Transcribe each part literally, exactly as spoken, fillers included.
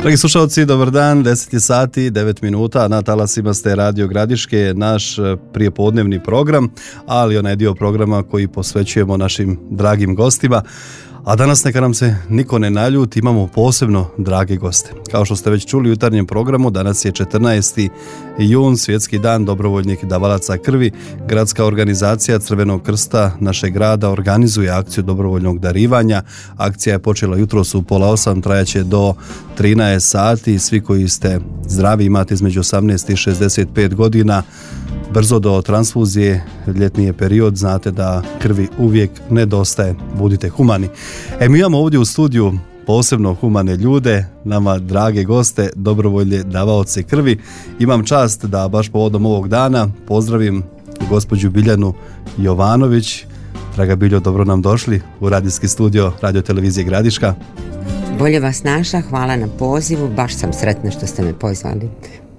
Dragi slušalci, dobar dan, deset je sati, devet minuta, na talasima ste Radio Gradiške, naš prijepodnevni program, ali onaj dio programa koji posvećujemo našim dragim gostima. A danas neka nam se niko ne naljuti, imamo posebno drage goste. Kao što ste već čuli u jutarnjem programu, danas je četrnaesti jun, svjetski dan dobrovoljnih davalaca krvi. Gradska organizacija Crvenog krsta našeg grada organizuje akciju dobrovoljnog darivanja. Akcija je počela jutros u pola osam, trajaće do trinaest sati. Svi koji ste zdravi, imate između osamnaest i šezdeset pet godina, brzo do transfuzije, ljetni je period, znate da krvi uvijek nedostaje, budite humani. E, mi imamo ovdje u studiju posebno humane ljude, nama drage goste, dobrovoljne davaoce krvi. Imam čast da baš povodom ovog dana pozdravim gospođu Biljanu Jovanović. Draga Biljo, dobro nam došli u radijski studio Radio Televizije Gradiška. Bolje vas našla, hvala na pozivu, baš sam sretna što ste me pozvali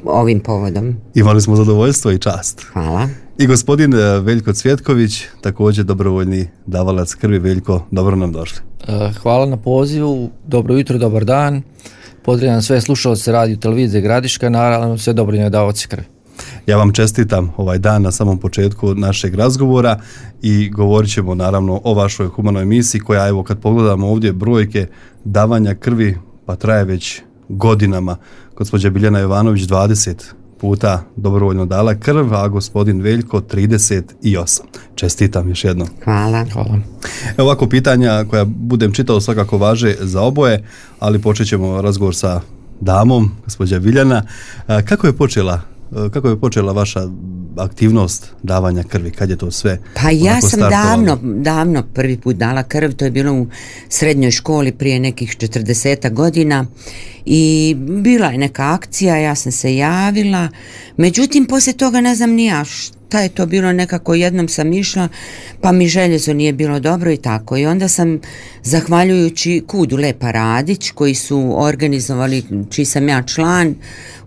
ovim povodom. Imali smo zadovoljstvo i čast. Hvala. I gospodin Veljko Cvjetković, također dobrovoljni davalac krvi. Veljko, dobro nam došli. Hvala na pozivu, dobro jutro, dobar dan. Pozdravljam sve slušalce Radio Televizije Gradiška, naravno sve dobrovoljne davaoce krvi. Ja vam čestitam ovaj dan na samom početku našeg razgovora i govorit ćemo naravno o vašoj humanoj misiji koja, evo, kad pogledamo ovdje brojke davanja krvi, pa traje već godinama. Gospođa Biljana Jovanović dvadeset puta dobrovoljno dala krv, a gospodin Veljko trideset osam. Čestitam još jednom. Hvala. Hvala. Evo ovako pitanja koja budem čitao svakako važe za oboje, ali počet ćemo razgovor sa damom, gospođa Biljana. Kako je počela Kako je počela vaša aktivnost davanja krvi? Kad je to sve? Pa ja sam davno, davno prvi put dala krv, to je bilo u srednjoj školi prije nekih četrdeset godina i bila je neka akcija, ja sam se javila, međutim poslije toga ne znam ni ja šta je to bilo, nekako jednom sam išla pa mi željezo nije bilo dobro i tako, i onda sam zahvaljujući Kudu Lepa Radić koji su organizovali, čiji sam ja član,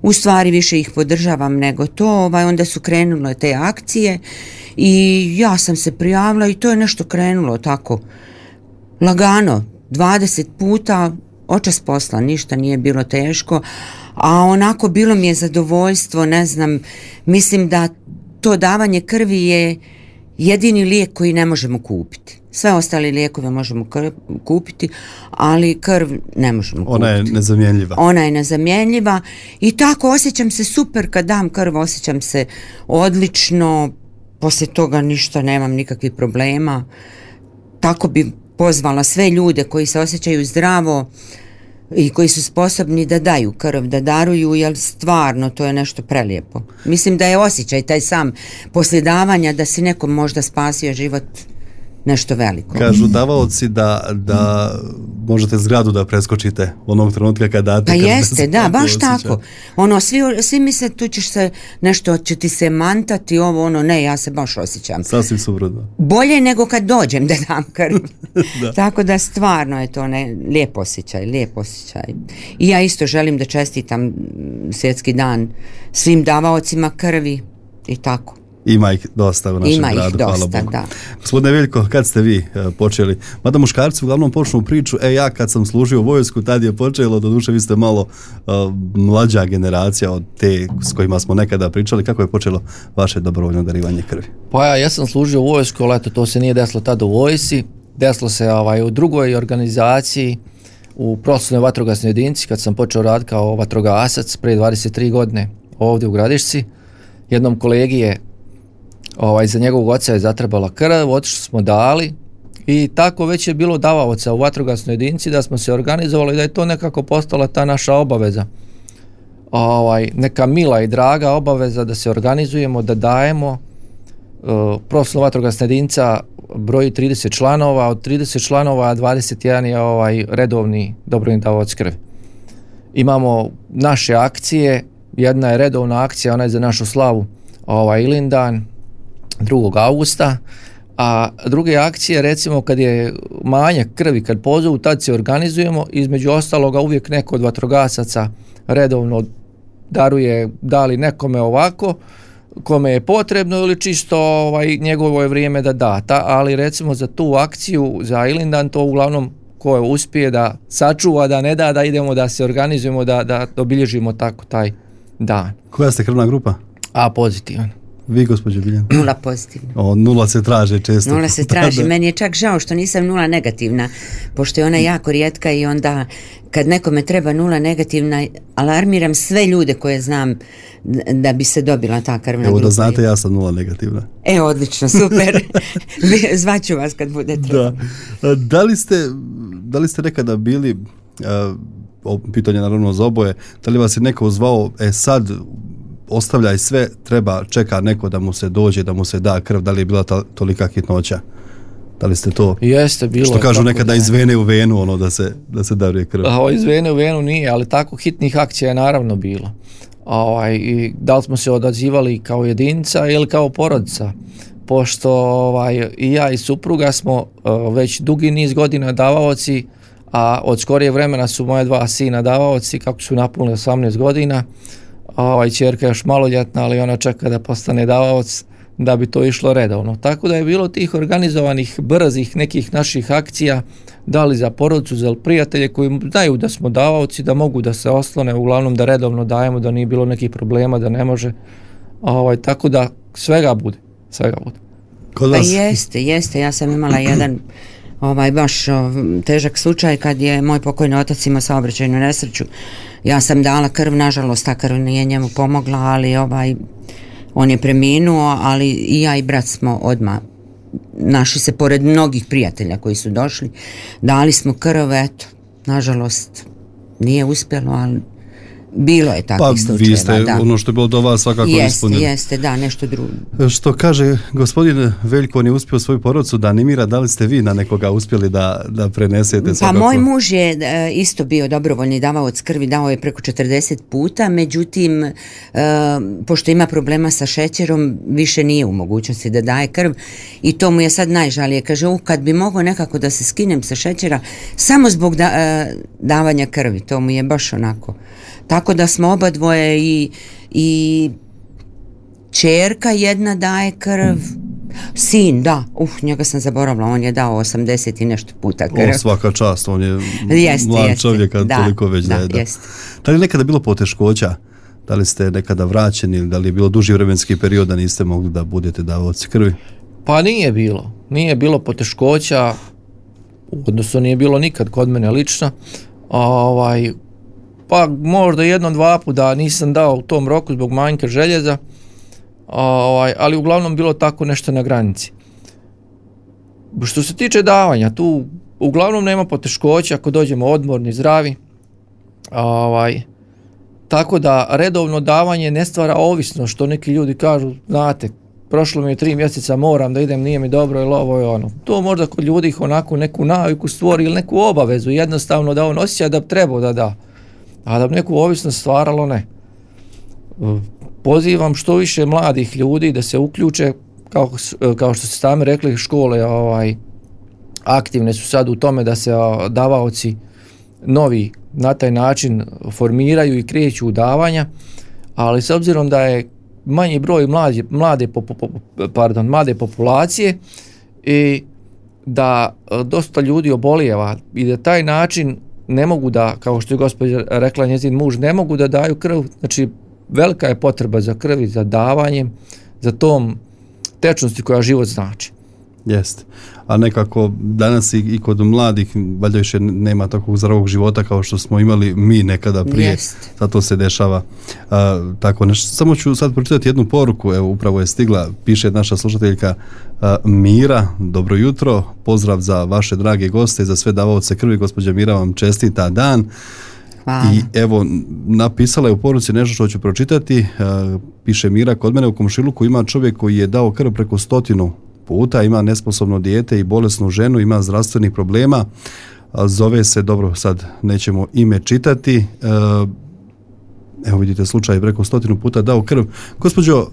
u stvari više ih podržavam nego to, ovaj, onda su krenule te akcije i ja sam se prijavila i to je nešto krenulo tako lagano, dvadeset puta, očas posla, ništa nije bilo teško, a onako bilo mi je zadovoljstvo, ne znam, mislim da to davanje krvi je jedini lijek koji ne možemo kupiti. Sve ostale lijekove možemo krv, kupiti, ali krv ne možemo kupiti. Ona je nezamjenljiva. Ona je nezamjenljiva i tako osjećam se super kad dam krv, osjećam se odlično, poslije toga ništa, nemam nikakvih problema. Tako bi pozvala sve ljude koji se osjećaju zdravo i koji su sposobni da daju krv, da daruju, jer stvarno to je nešto prelijepo. Mislim da je osjećaj taj sam poslije davanja da si nekom možda spasio život nešto veliko. Kažu davaoci da, da možete zgradu da preskočite onog trenutka kad date krv. Pa jeste, da, baš osjećaj. Tako. Ono, svi, svi misle tu ćeš se nešto, će ti se mantati, ovo, ono, ne, ja se baš osjećam. Sasvim suprotno. Bolje nego kad dođem da dam krv. Da. Tako da stvarno je to ne, lijep osjećaj, lijep osjećaj. I ja isto želim da čestitam svjetski dan svim davaocima krvi i tako. Ima ih dosta u našem Ima gradu, dosta, hvala Bogu. Da. Gospodine Veljko, kad ste vi uh, počeli? Mada muškarci uglavnom počnu priču, e ja kad sam služio u vojsku, tad je počelo, doduše vi ste malo uh, mlađa generacija od te s kojima smo nekada pričali. Kako je počelo vaše dobrovoljno darivanje krvi? Pa ja, ja sam služio u vojsku, ali eto, to se nije desilo tada u vojsi, desilo se ovaj, u drugoj organizaciji, u profesionalnoj vatrogasnoj jedinici, kad sam počeo raditi kao vatrogasac prije dvadeset tri godine ovdje u Gradišci. Jednom kolegi je Ovaj, za njegovog oca je zatrebala krv, otišli smo dali i tako već je bilo davaoca u vatrogasnoj jedinici da smo se organizovali i da je to nekako postala ta naša obaveza. Ovaj, neka mila i draga obaveza da se organizujemo, da dajemo. Uh, profesionalna vatrogasna jedinica broji trideset članova, od trideset članova dvadeset jedan je ovaj redovni dobrovoljni davalac krvi. Imamo naše akcije, jedna je redovna akcija, ona je za našu slavu ovaj Ilindan, drugog augusta, a druge akcije, recimo kad je manjak krvi, kad pozovu, tad se organizujemo, između ostaloga uvijek neko od vatrogasaca redovno daruje, da li nekome ovako, kome je potrebno ili čisto ovaj, njegovo je vrijeme da da, ta, ali recimo za tu akciju, za Ilindan, to uglavnom ko uspije da sačuva, da ne da, da idemo da se organizujemo, da, da obilježimo tako taj dan. Koja ste krvna grupa? A pozitivan. Vi, gospođo Biljana? Nula pozitivna. O, nula se traže često. Nula se traži. Meni je čak žao što nisam nula negativna, pošto je ona jako rijetka i onda kad nekome treba nula negativna, alarmiram sve ljude koje znam da bi se dobila ta krvna grupa. Evo da znate, ja sam nula negativna. E, odlično, super. Zvaću vas kad bude treba. Da. Da li ste, da li ste nekada bili, uh, pitanje naravno za oboje, da li vas je neko zvao, e sad ostavljaj sve, treba, čeka neko da mu se dođe, da mu se da krv, da li je bila ta, tolika hitnoća? Da li ste to? Jeste, bilo. Što kažu nekada da iz vene u venu, ono da se, da se daruje krv. A, iz vene u venu nije, ali tako hitnih akcija je naravno bilo. Ovaj, i da li smo se odazivali kao jedinica ili kao porodica? Pošto ovaj, i ja i supruga smo uh, već dugi niz godina davaoci, a od skorije vremena su moje dva sina davaoci, kako su napunili osamnaest godina. Ovaj, ćerka je još maloljetna, ali ona čeka da postane davaoc da bi to išlo redovno. Tako da je bilo tih organizovanih, brzih nekih naših akcija, da li za porodicu, za prijatelje koji znaju da smo davaoci, da mogu da se oslone, uglavnom da redovno dajemo, da nije bilo nekih problema, da ne može. Ovaj, tako da svega bude, svega bude. Kod vas? Pa jeste, jeste. Ja sam imala jedan ovaj baš o, težak slučaj kad je moj pokojni otac imao saobraćajnu nesreću. Ja sam dala krv, nažalost ta krv nije njemu pomogla, ali ovaj on je preminuo, ali i ja i brat smo odmah našli se pored mnogih prijatelja koji su došli, dali smo krv, eto, nažalost nije uspjelo, ali bilo je takvih pa, slučajeva. Pa vi ste da. Ono što je bilo do vas svakako jeste, ispunili. Jeste, da, nešto drugo. Što kaže gospodin Veljko, on je uspio svoju porodicu da animira, da li ste vi na nekoga uspjeli da, da prenesete svakako? Pa moj muž je e, isto bio dobrovoljni davaoc krvi, dao je preko četrdeset puta, međutim, e, pošto ima problema sa šećerom, više nije u mogućnosti da daje krv i to mu je sad najžalije. Kaže, u, kad bi mogao nekako da se skinem sa šećera, samo zbog da, e, davanja krvi, to mu je baš onako. Tako da smo oba dvoje i, i ćerka jedna daje krv, sin, da, uf, njega sam zaboravila, on je dao osamdeset i nešto puta krv. O, svaka čast, on je jeste, mlad jeste, čovjek, kad da, toliko već da, daje. Da. Jeste. Da li je nekada bilo poteškoća? Da li ste nekada vraćeni ili da li je bilo duži vremenski period da niste mogli da budete davaoci krvi? Pa nije bilo. Nije bilo poteškoća, odnosno nije bilo nikad kod mene lično. Ovaj, pa možda jednom, dva puta nisam dao u tom roku zbog manjka željeza, ovaj, ali uglavnom bilo tako nešto na granici. Što se tiče davanja, tu uglavnom nema poteškoća ako dođemo odmorni, zdravi. Ovaj, tako da redovno davanje ne stvara ovisno, što neki ljudi kažu, znate, prošlo mi je tri mjeseca, moram da idem, nije mi dobro ili ovo je ono. To možda kod ljudi onako neku naviku stvori ili neku obavezu, jednostavno da on osjeća da bi trebao da da. A da bi neku ovisnost stvaralo, ne. Pozivam što više mladih ljudi da se uključe, kao, kao što ste sami rekli, škole ovaj, aktivne su sad u tome da se davaoci novi na taj način formiraju i kreću u davanja, ali s obzirom da je manji broj mlade, mlade, pardon, mlade populacije i da dosta ljudi obolijeva i da taj način ne mogu da, kao što je gospođa rekla njezin muž, ne mogu da daju krv, znači velika je potreba za krvi, za davanjem, za tom tečnosti koja život znači. Jeste. A nekako danas i, i kod mladih valjda više nema takvog zdravog života kao što smo imali mi nekada prije. Jest. Zato se dešava a, tako nešto. Samo ću sad pročitati jednu poruku, evo upravo je stigla, piše naša slušateljka a, Mira, dobro jutro, pozdrav za vaše drage goste i za sve davaoce krvi, gospođa Mira vam čestita dan. Hvala. I evo, napisala je u poruci nešto što ću pročitati, a, piše Mira, kod mene u komšiluku ima čovjek koji je dao krv preko stotinu puta, ima nesposobno dijete i bolesnu ženu, ima zdravstvenih problema, zove se, dobro, sad nećemo ime čitati, evo vidite slučaj, preko stotinu puta dao krv. Gospođo,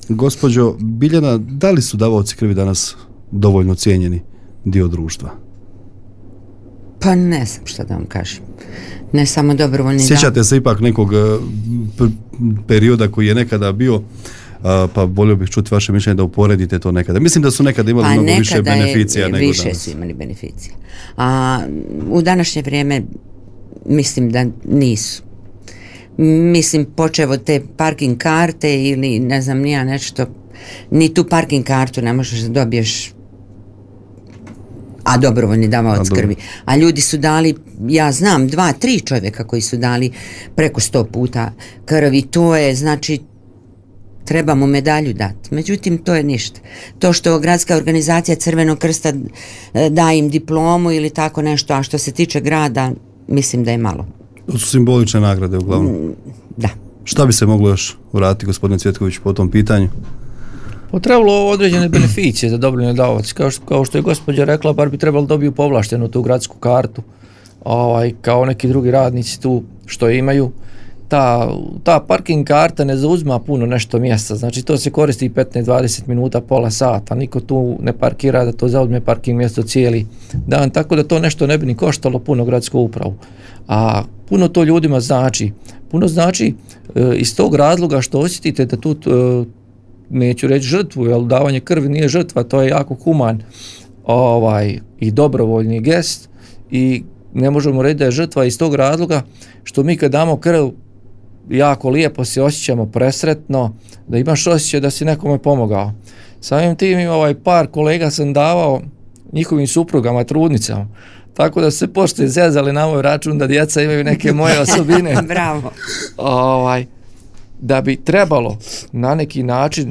gospođo Biljana, da li su davaoci krvi danas dovoljno cijenjeni dio društva? Pa ne znam šta da vam kažem. Ne samo dobrovoljni. Sjećate se ipak nekog perioda koji je nekada bio pa volio bih čuti vaše mišljenje da uporedite to nekada. Mislim da su nekada imali pa mnogo nekada više beneficija je, nego više danas. su imali beneficija. A u današnje vrijeme mislim da nisu. Mislim, počev od te parking karte ili ne znam nija nešto, ni tu parking kartu ne možeš da dobiješ, a dobrovoljni davaoc krvi. A ljudi su dali, ja znam, dva, tri čovjeka koji su dali preko sto puta krvi. To je, znači, treba mu medalju dati. Međutim, to je ništa. To što gradska organizacija Crvenog krsta da im diplomu ili tako nešto, a što se tiče grada, mislim da je malo. To su simbolične nagrade uglavnom. Da. Šta bi se moglo još uraditi, gospodine Cvjetković, po tom pitanju? Potrebalo određene beneficije za dobrovoljne davaoce. Kao što, kao što je gospođa rekla, bar bi trebalo dobiju povlaštenu tu gradsku kartu, ovaj, kao neki drugi radnici tu što imaju. Ta, ta parking karta ne zauzma puno nešto mjesta, znači to se koristi petnaest dvadeset minuta, pola sata, niko tu ne parkira da to zauzme parking mjesto cijeli dan, tako da to nešto ne bi ni koštalo puno gradsku upravu. A puno to ljudima znači, puno znači e, iz tog razloga što osjetite da tu, e, neću reći žrtvu, jer davanje krvi nije žrtva, to je jako human ovaj, i dobrovoljni gest i ne možemo reći da je žrtva iz tog razloga što mi kad damo krv jako lijepo se osjećamo presretno, da imaš osjećaj da si nekome pomogao. Samim tim ovaj par kolega sam davao njihovim suprugama, trudnicama, tako da su se pošto zezali na moj račun da djeca imaju neke moje osobine. Bravo. Ovaj, da bi trebalo na neki način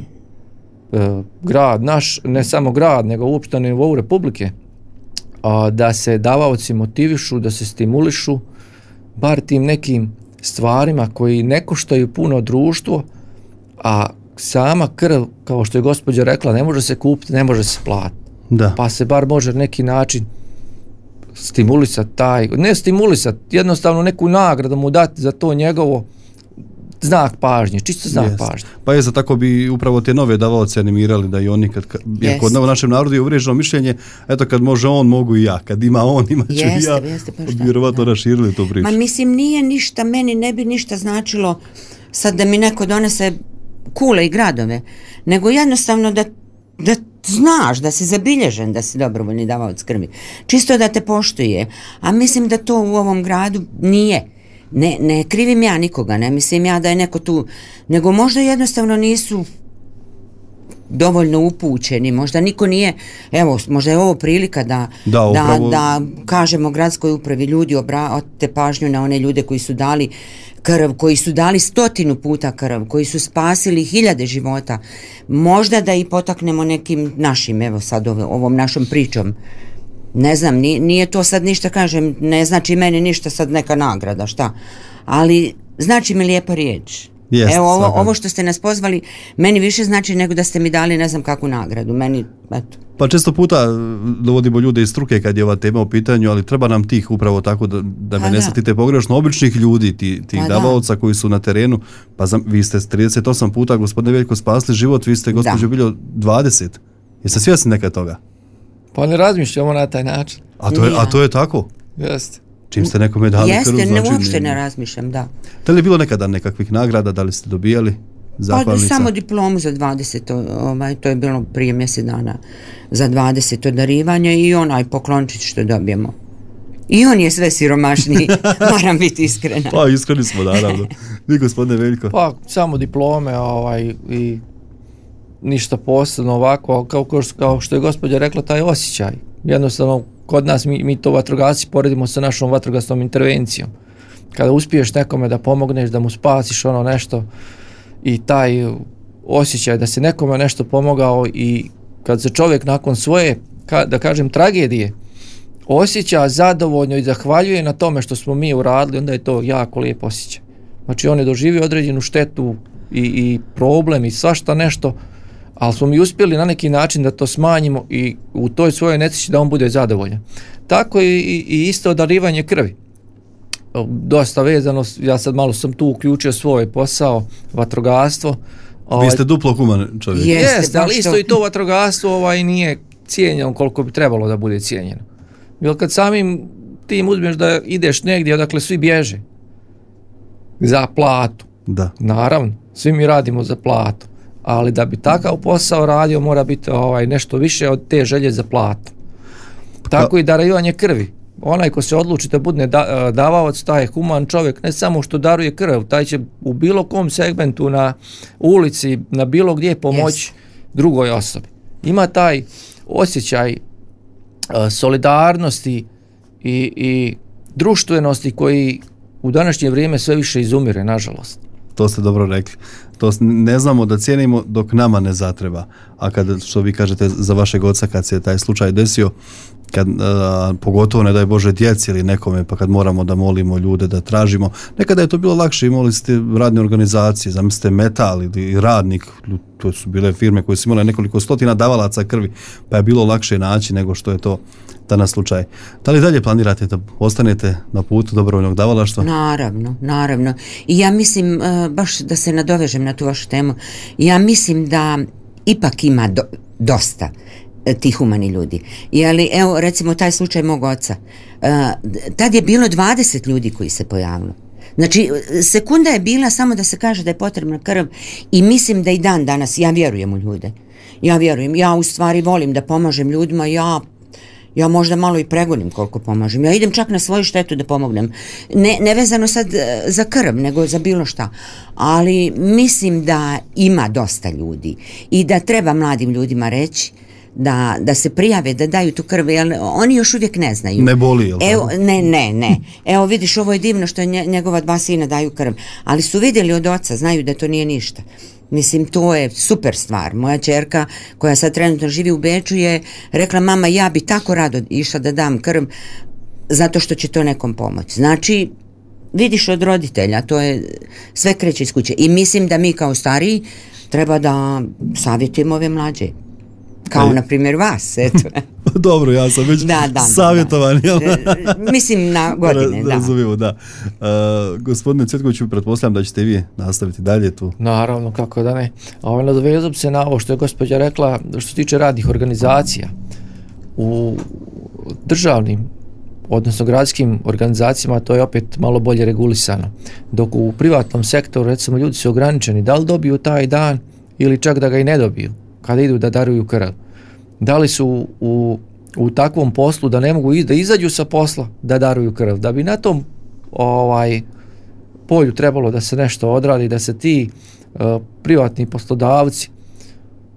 e, grad naš, ne samo grad, nego uopšte na nivou Republike, a, da se davaoci motivišu, da se stimulišu, bar tim nekim stvarima koji ne koštaju puno društvo, a sama krv, kao što je gospođa rekla, ne može se kupiti, ne može se platiti. Da. Pa se bar može neki način stimulisati taj, ne stimulisati, jednostavno neku nagradu mu dati za to njegovo znak pažnje, čisto znak Jest. pažnje. Pa je za tako bi upravo te nove davaoce animirali da i oni kad, kad jer kod u našem narodu je uvriježeno mišljenje, eto kad može on, mogu i ja, kad ima on, imat ću i ja, jeste, pa šta, vjerovatno raširili tu priču. Ma mislim nije ništa, meni ne bi ništa značilo sad da mi neko donese kule i gradove, nego jednostavno da, da znaš, da si zabilježen da si dobrovoljni davaoc krvi. Čisto da te poštuje. A mislim da to u ovom gradu nije. Ne, ne krivim ja nikoga, ne mislim ja da je neko tu, nego možda jednostavno nisu dovoljno upućeni, možda niko nije, evo, možda je ovo prilika da, da, upravo... da, da kažemo gradskoj upravi, ljudi obratite pažnju na one ljude koji su dali krv, koji su dali stotinu puta krv, koji su spasili hiljade života, možda da i potaknemo nekim našim, evo sad ove, ovom našom pričom. Ne znam, nije, nije to sad ništa, kažem, ne znači meni ništa sad neka nagrada, šta, ali znači mi lijepa riječ. Jest, evo ovo, ovo što ste nas pozvali meni više znači nego da ste mi dali ne znam kakvu nagradu, meni, eto. Pa često puta dovodimo ljude iz struke kad je ova tema u pitanju, ali treba nam tih upravo tako da, da me ne shvatite pogrešno, običnih ljudi, ti, tih pa davaoca koji su na terenu, pa za, vi ste trideset osam puta, gospodine Veljko, spasli život, vi ste gospođo Biljo dvadeset. Jeste svjesni neka toga? Pa ne razmišljamo na taj način. A to je, a to je tako? Jeste. Čim ste nekome dali krv, znači... Jeste, ne, uopšte ne razmišljam, da. Da li je bilo nekada nekakvih nagrada, da li ste dobijali zahvalnica? Pa samo diplomu za dvadeset, ovaj, to je bilo prije mjesec dana, za dvadeset darivanja i onaj poklončić što dobijemo. I on je sve siromašniji, moram biti iskrena. Pa iskreni smo, naravno. Vi, gospodine Veljko? Pa samo diplome ovaj, i ništa posebno ovako, kao, kao što je gospođa rekla, taj osjećaj. Jednostavno, kod nas mi, mi to vatrogasci poredimo sa našom vatrogasnom intervencijom. Kada uspiješ nekome da pomogneš, da mu spasiš ono nešto i taj osjećaj da se nekome nešto pomogao i kad se čovjek nakon svoje, ka, da kažem, tragedije osjeća zadovoljno i zahvaljuje na tome što smo mi uradili, onda je to jako lijep osjećaj. Znači on je doživio određenu štetu i, i problem i svašta nešto, ali smo mi uspjeli na neki način da to smanjimo i u toj svojoj nesreći da on bude zadovoljan. Tako i, i isto darivanje krvi. Dosta vezano, ja sad malo sam tu uključio svoj posao, vatrogastvo. Vi ste duplo human čovjek. Jeste, Jeste ali isto i to vatrogastvo ovaj, nije cijenjeno koliko bi trebalo da bude cijenjeno. Jer kad samim tim uzmeš da ideš negdje odakle svi bježe za platu, da. Naravno, svi mi radimo za platu, ali da bi takav posao radio mora biti ovaj, nešto više od te želje za platu. Tako i darivanje krvi. Onaj ko se odluči da bude da, davavac, taj je human čovjek, ne samo što daruje krv, taj će u bilo kom segmentu na ulici, na bilo gdje pomoći yes. drugoj osobi. Ima taj osjećaj uh, solidarnosti i, i društvenosti koji u današnje vrijeme sve više izumire, nažalost. To ste dobro rekli. To ne znamo da cijenimo dok nama ne zatreba. A kad, što vi kažete za vašeg oca, kad se taj slučaj desio, kad, a, pogotovo ne daj Bože djeci ili nekome, pa kad moramo da molimo ljude, da tražimo, nekada je to bilo lakše, imali ste radne organizacije, zamislite Metal ili Radnik, to su bile firme koje su imale nekoliko stotina davalaca krvi, pa je bilo lakše naći nego što je to danas slučaj. Da li dalje planirate da ostanete na putu dobrovoljnog davalaštva? Naravno, naravno. I ja mislim, baš da se nadovežem na tu vašu temu, ja mislim da ipak ima do, dosta tih humani ljudi. Jeli, evo, recimo, taj slučaj mog oca. Tad je bilo dvadeset ljudi koji se pojavilo. Znači, sekunda je bila samo da se kaže da je potrebna krv i mislim da i dan danas, ja vjerujem u ljude. Ja vjerujem. Ja u stvari volim da pomažem ljudima, ja Ja možda malo i pregonim koliko pomažem. Ja idem čak na svoju štetu da pomognem. Ne, ne vezano sad za krv, nego za bilo šta. Ali mislim da ima dosta ljudi i da treba mladim ljudima reći da, da se prijave, da daju tu krv, jer oni još uvijek ne znaju. Ne boli, jel? Evo, ne, ne, ne. Evo vidiš, ovo je divno što njegova dva sina daju krv, ali su vidjeli od oca, znaju da to nije ništa. Mislim, to je super stvar. Moja ćerka, koja sad trenutno živi u Beču, je rekla, mama, ja bi tako rado išla da dam krv, zato što će to nekom pomoći. Znači, vidiš od roditelja, to je sve kreće iz kuće. I mislim da mi kao stariji treba da savjetujemo ove mlađe. Kao, na primjer, vas, eto. Dobro, ja sam već da, da, savjetovan. Da, da. Mislim, na godine, da. Razumijemo, da. Uh, gospodine Cvjetkoviću, pretpostavljam da ćete vi nastaviti dalje tu. Naravno, kako da ne. Ovo, nadovezam se na ovo što je gospođa rekla, što se tiče radnih organizacija. U državnim, odnosno gradskim organizacijama, to je opet malo bolje regulisano. Dok u privatnom sektoru, recimo, ljudi su ograničeni, da li dobiju taj dan ili čak da ga i ne dobiju kada idu da daruju krv. Da li su u, u takvom poslu da ne mogu iz, da izađu sa posla da daruju krv. Da bi na tom ovaj polju trebalo da se nešto odradi, da se ti uh, privatni poslodavci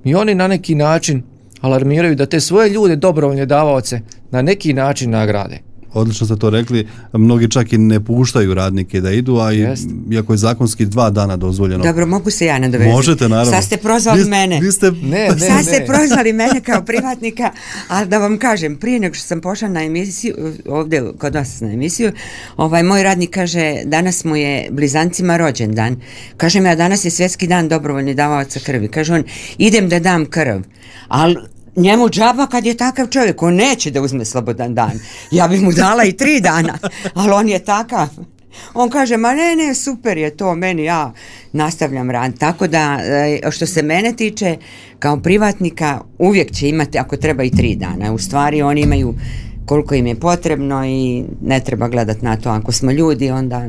i oni na neki način alarmiraju da te svoje ljude, dobrovoljne davaoce, na neki način nagrade. Odlično ste to rekli, mnogi čak i ne puštaju radnike da idu, a i, iako je zakonski dva dana dozvoljeno. Dobro, mogu se ja nadovezati. Možete, naravno. Sad ste prozvali vi, mene. Vi ste... Ne, ne, Sad ne. ste prozvali mene kao privatnika, ali da vam kažem, prije nego što sam pošla na emisiju, ovdje kod vas na emisiju, ovaj moj radnik kaže, danas mu je blizancima rođendan. Kažem ja, danas je svjetski dan dobrovoljnih davaoca krvi. Kaže on, idem da dam krv, ali njemu džaba kad je takav čovjek, on neće da uzme slobodan dan. Ja bi mu dala i tri dana, ali on je takav. On kaže, ma ne, ne, super je to, meni ja nastavljam rad. Tako da, što se mene tiče, kao privatnika, uvijek će imati, ako treba, i tri dana. U stvari, oni imaju koliko im je potrebno i ne treba gledati na to. Ako smo ljudi, onda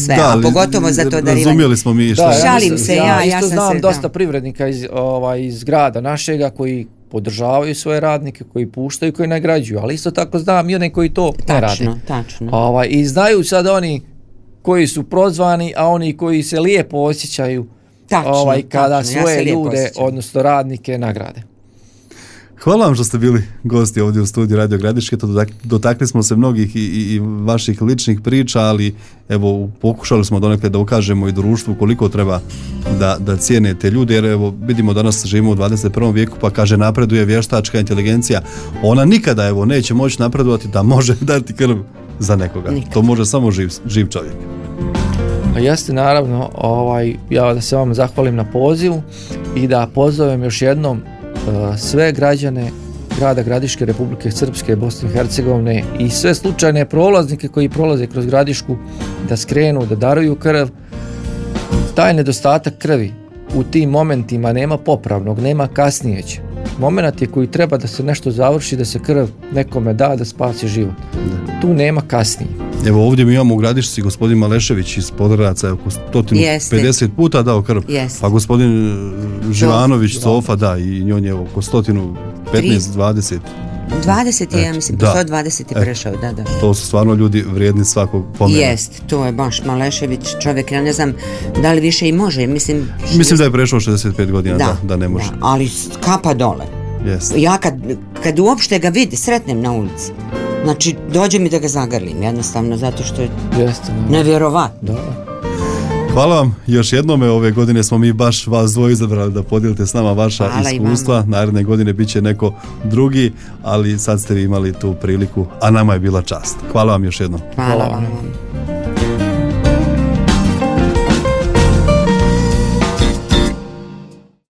sve, da, a pogotovo za to darivanje. Razumjeli smo mi što... Da, ja šalim mislim, se, ja, ja, ja isto sam znam se... dosta da. privrednika iz, ovaj, iz grada našega koji podržavaju svoje radnike, koji puštaju, koji nagrađuju, ali isto tako znam i one koji to tačno, ne rade. Tačno, tačno. Ovaj, I znaju sad oni koji su prozvani, a oni koji se lijepo osjećaju tačno, ovaj, kada tačno, svoje ja ljude, osjećam. odnosno radnike, nagrade. Hvala vam što ste bili gosti ovdje u studiju Radio Gradiške. Dotakli smo se mnogih i, i, i vaših ličnih priča, ali evo pokušali smo donekle da ukažemo i društvu koliko treba da, da cijene te ljude, jer evo vidimo danas živimo u dvadeset prvom vijeku, pa kaže napreduje vještačka inteligencija. Ona nikada evo neće moći napredovati da može dati krv za nekoga. Nikad. To može samo živ, živ čovjek. A jeste, naravno, ovaj, ja da se vam zahvalim na pozivu i da pozovem još jednom sve građane grada Gradiške, Republike Srpske, Bosne i Hercegovine i sve slučajne prolaznike koji prolaze kroz Gradišku da skrenu, da daruju krv. Taj nedostatak krvi u tim momentima nema popravnog, nema kasnijeć. Moment je koji treba da se nešto završi, da se krv nekome da, da spasi život. Tu nema kasnije. Evo ovdje mi imamo u Gradišci gospodin Malešević iz Podgradca, oko sto pedeset puta dao krv. Jeste. Pa gospodin Živanović, Sofa, da, i njon je oko sto petnaest dvadeset. dvadeset je, ja mislim, po sto dvadeset je prešao, da, da. To su stvarno ljudi vrijedni svakog pomena. Jest, to je baš Malešević, čovjek, ja ne znam da li više i može, mislim... Mislim da je prešao šezdeset pet godina, da, da, da ne može. Da, ali kapa dole. Jest. Ja kad, kad uopšte ga vidi, sretnem na ulici, znači dođe mi da ga zagrlim, jednostavno, zato što je Jeste, nevjerovatno. Da. Hvala vam još jednome, ove godine smo mi baš vas dvoje izabrali da podijelite s nama vaša Hvala iskustva, naredne godine bit će neko drugi, ali sad ste vi imali tu priliku, a nama je bila čast. Hvala vam još jednom. Hvala, Hvala vam.